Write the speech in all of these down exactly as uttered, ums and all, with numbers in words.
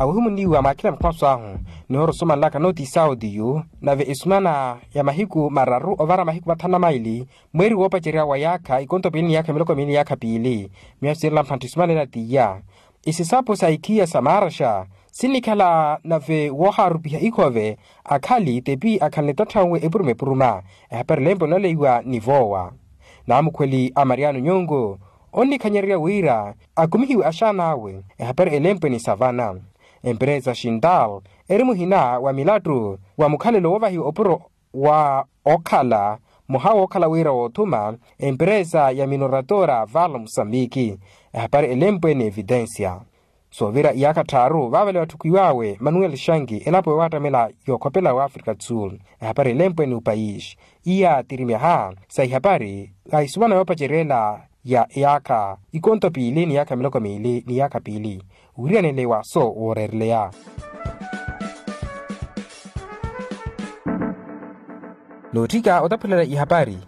awohimunniwa mwakhila mukwaso ahu. Nihoora osumanlaka notice audio nave esumana ya mahiku mararu ovara mahiku mathanu na maili, mweeri woopacerya wa yaakha ikonto piili ni yaakha miloko miili ni yaakha piili. Miya siirela mphantta esumanela t'iya. Isisapo sa ikhiya sa maaraxa sinnikhala nave woohaarupiha ikhove akhali tepi akhalana etatthawe epuruma epuruma. Ehapari elempwe nooleiwa ni voowa. Naamukhweli a mariano nyongo onnikhanyererya wira akumihiwe axaan'awe. Ehapari elempwe ni savana. Emperesa xintal eri muhina wa milattu wa mukhalelo woovahiwa opuro wa okhala muha wookhala wira woothuma emperesa ya minoratora val musambiki. Ehapari elempwe ni evitensia. Soovira iyaakha tthaaru vaavale watthukiw'awe manuel shangi elapo yoowattamela yookhopela wa afrika do sul. Ehapari elempwe ni upayis iya tirimyaha sa ihapari a isumana yoopacerya ela ya iyaakha ikonto piili ni yaakha miloko miili ni yaakha piili. Wiriyanele wa so wooreereleya. Nootthika otaphulela ihapari.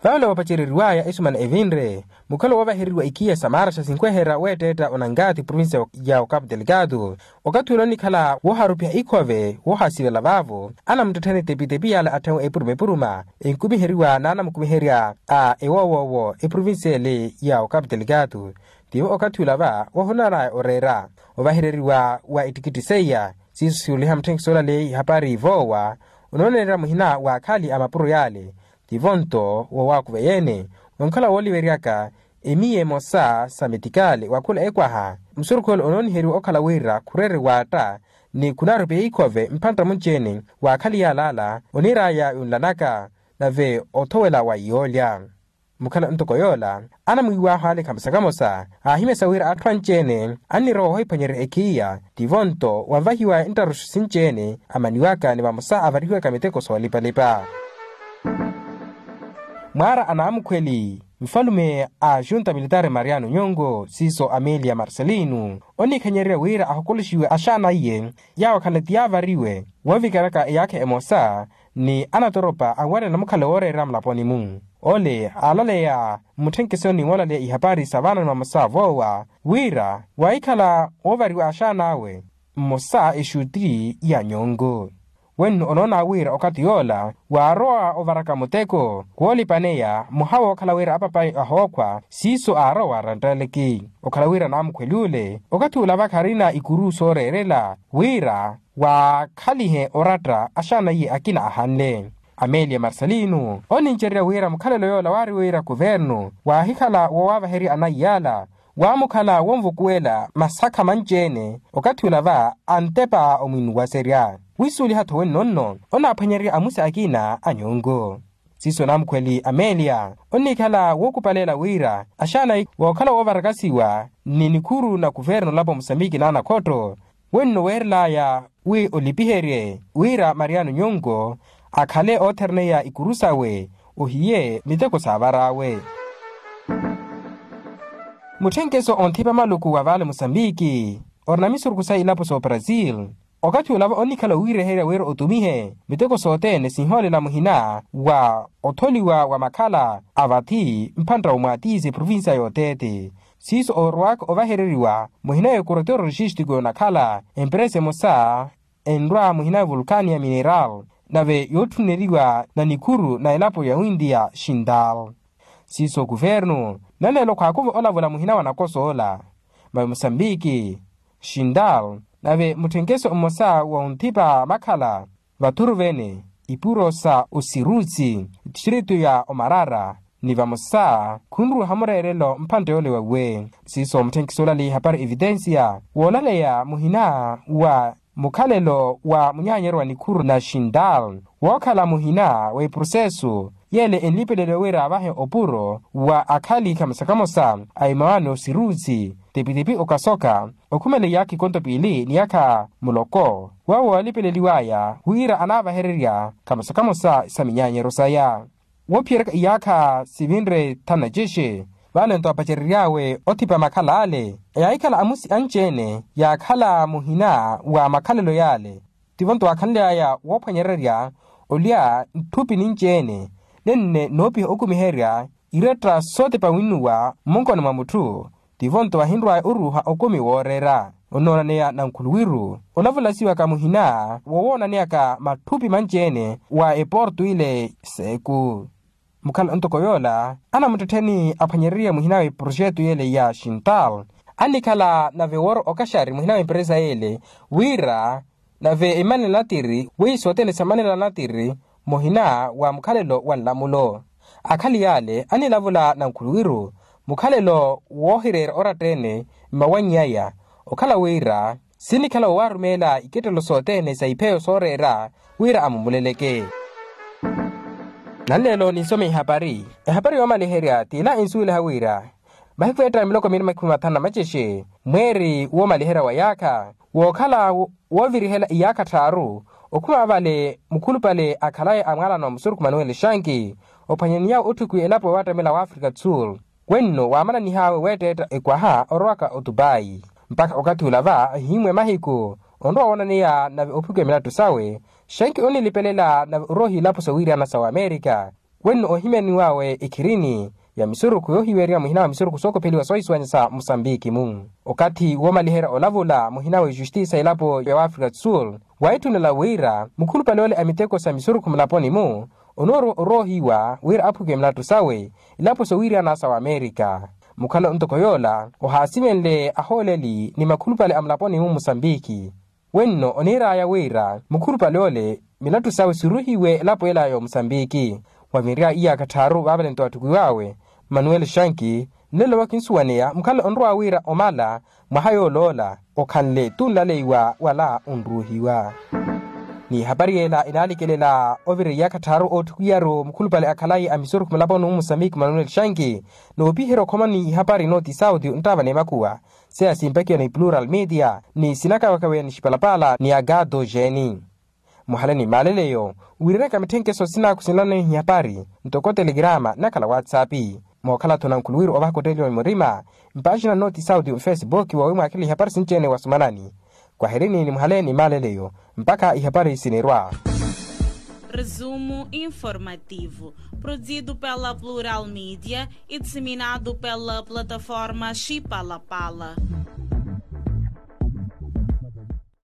Vale vapacereriwaya esumana evinre mukhalo woovahereriwa ikhiya sa maaraxa sinkweherya weetteetta onankathi provincia ya okapu delikatu. Okathi ula onnikhala wooharupiha ikhove woohasivela vaavo anamuttettheni tepitepi yale atthenwe epuruma epuruma enkumiheriwa n'anamukumiherya a ewoowoowo eprovincia ele ya okapu delikatu. Tivo okathi ula va woohonanaya oreera ovahereriwa wa ettikitthi seiya siiso siuliha mutthenkiso olaleya ihapari voowa onooneerya muhina wa akhali a mapuro yale. Tivo nto woowakuva yeene onkhala wooliveryaka emiya emosa sa metikali wa khula ekwaha musurukhu ole onooniheriwa okhala wira khureere waatta ni khunaarupiha ikhove mphantta munci-ene wa akhali yaal'ala oniir'aya yunlanaka nave othowela wa yoolya. Mukhala ntoko yoola anamwiiw'ahu ale kamosa kamosa aahimyasa wira atthu anci-ene annirowa ohiphwanyerya ekhiya tivo nto wanvahiwaya nttaruxu sinci-ene amaniwaka ni vamosa avarihiwaka miteko soolipalipa. Mwaara a naamukhweli nfalume a junta militaari mariano nyongo siiso amelia marcelino onnikhanyererya wira ahokoloxiwe axaana iye yaawo akhala ti yaavariwe woovikaryaka eyaakha emosa ni anatoropa anwarya namukhala wooreera mulaponi-mu. Ole aalaleya mmutthenkeso ni moolaleya ihapari sa vaana ni mamosa voowa wira waahikhala woovariwa axaan'awe mmosa exuti ya nyongo. Wenno onoona wira okathi yoola waarowa ovaraka muteko woolipaneya muha wookhala wira apapayi ahookhwa siiso aarowa waaranttaaleke okhala wira naamukhweli ole okathi ula vakharina ikuru sooreerela wira waakhalihe oratta axaana iye akina ahanle. Amelia marcelino onincererya wira mukhalelo yoola waari wira kuvernu waahikhala woowavaherya anaiy'ala waamukhala wonvukuwela masakha manci-ene okathi ula va antepa omwinuwaserya wisuuliha-tho wenno nno onaaphwanyererya amusi akina a nyongo. Siiso naamukhweli amelia onnikhala wookupaleela wira axaana wookhala woovarakasiwa ni nikhuru na kuvernu olapo musambiki n'anakhotto wenno weerel'aya wi olipiherye wira mariano nyongo akhale oothereneya ikuru sawe ohiye miteko saavar'awe. Mutthenkeso onthipa maluku wa vale musambiki orina misurukhu sa ilapo s'obrasil okathi olava onnikhala owiireherya wira otumihe miteko sothene sinhoolela muhina wa otholiwa wa makhala a vathi mphantta omwaatisi eprovincia y'othete. Siiso oorowaka ovahereriwa muhina y'ekurotero logistico yonakhala emperesa emosa enrwa muhina vulkani ya mineral nave yootthuneriwa na nikhuru na elapo ya windia xintal. Siiso kuvernu naneelo khwaakuva olavula muhina wa nakosa ola mave musambiki xintal nave mutthenkeso mmosa wa onthipa makhala vathuru vene ipuro sa osirutsi distritu ya omarara ni vamosa khunruha mureerelo mphantte yoole wawe. Siiso mutthenkiso olaleya ihapari evitensia woolaleya muhina wa mukhalelo wa munyaanyeryo wa nikhuru na xintal wookhala muhina w'eprosesu yeele enlipeleliwa wira avahe opuro wa akhali kamosa kamosa a imawaani osirutsi tepitepi okasoka okhumela iyaakha ikonto piili ni yaakha muloko wawo woolipeleliw'aya wira anaavahererya kamosa kamosa sa minyaanyeryo saya. Woophiyeryaka iyaakha sivinre thanu na cexe vale nto apacerery'awe othipa makhala ale yaahikhala amusi anci-ene yaakhala muhina wa makhalelo yale. Tivo nto waakhanly'aya woophwanyererya olya ntthupi ninci-ene nenne noopiha okumiherya iretta sootepa winnuwa mmunkoni mwa mutthu Tivo-nto ahinrw'aya oruuha okumi wooreera. Onoonaneya nankhuluwiru olavulasiwaka muhina wowoonaneyaka matthupi manci-ene wa eporto ile seku. Mukhala ntoko yoola anamuttettheni aphwanyereriye muhina w'eproxeto yeele ya xintal annikhala nave wooro okaxari muhina w'emperesa yeele wira nave emanela natiri wi sothene samanela natiri muhina wa mukhalelo wa nlamulo. Akhali yaale anilavula nankhuluwiru mukhalelo woohireera oratta-ene mmawanny'aya okhala wira sinikhala woowarumeela ikettelo sothene sa ipheyo sooreera wira amumuleleke. Nanleelo ninsome ihapari ehapari yoomaliherya t'ila ensuweliha wira mahiku eettaka miloko miili makhumi mathanu na macexe mweeri woomaliherya wa yaakha wookhala woovirihela iyaakha tthaaru okhuma vale mukhulupale akhalaye a mwaalano wa musurukhu manuel shanki ophwanyaniyawe otthukiwa elapo waattamela w'afrika do sul wenno waamananihaawe weetteetta ekwaha orowaka otupayi mpakha okathi ula va ahiimwe mahiku onrowa woonaneya nave ophukiwa milattu sawe shanki onilipelela nave oroohiwa ilapo soowiiriyana sa wamerika wenno ohimyaniwawe ekhirini ya misurukhu yoohiweeriwa muhina wa misurukhu sookopheliwa soohisuwanya sa musambiki-mu okathi woomaliherya olavula muhina wa ejustisa elapo ya wafrika do sul waitthunela wira mukhulupale ole a miteko sa misurukhu mulaponi-mu onoorowa oroohiwa wira aphukiwe milattu sawe ilapo soowiiriyana sa wamerika mukhala ntoko yoola ohaasimenle ahooleli ni makhulupale a mulaponi-mu musambiki wenno oniir'aya wira mukhulupale ole milattu sawe siruhiwe elapo ela ya omusambiki wavinrya iyaakha tthaaru vaavalento atthukiw'awe manuel shanki nlelo wakinsuwaneya mukhala onrowa wira omala mwaha yooloola okhanle tunlaleiwa wala onruuhiwa n'ihapari yeela enaalikelela ovira iyaakha tthaaru ootthukiyaru mukhulupale akhalayi a misurukhu mulaponi-mu musambiki manuel shanki noopiherya okhoma n'ihapari nooti sauti nttaava n'emakhuwa seya simpekiwa ni plural media ni sinakawekaweya ni xipalapala ni agado jeeni muhale ni maaleleyo wiiranaka mitthenkeso sinaaku sinloneiha ihapari ntoko telegirama nakhala whatsapp mookhala-tho nankhuluwiru ovahaka otteliwa murima mpaaxina nooti sauti mfesibuki woowi mwaakhelele ihapari sinci-ene wasumanani kwaherini ni muhale ni maaleleyo mpakha ihapari sinirwa. Resumo informativo, produzido pela plural media e disseminado pela plataforma xipalapala.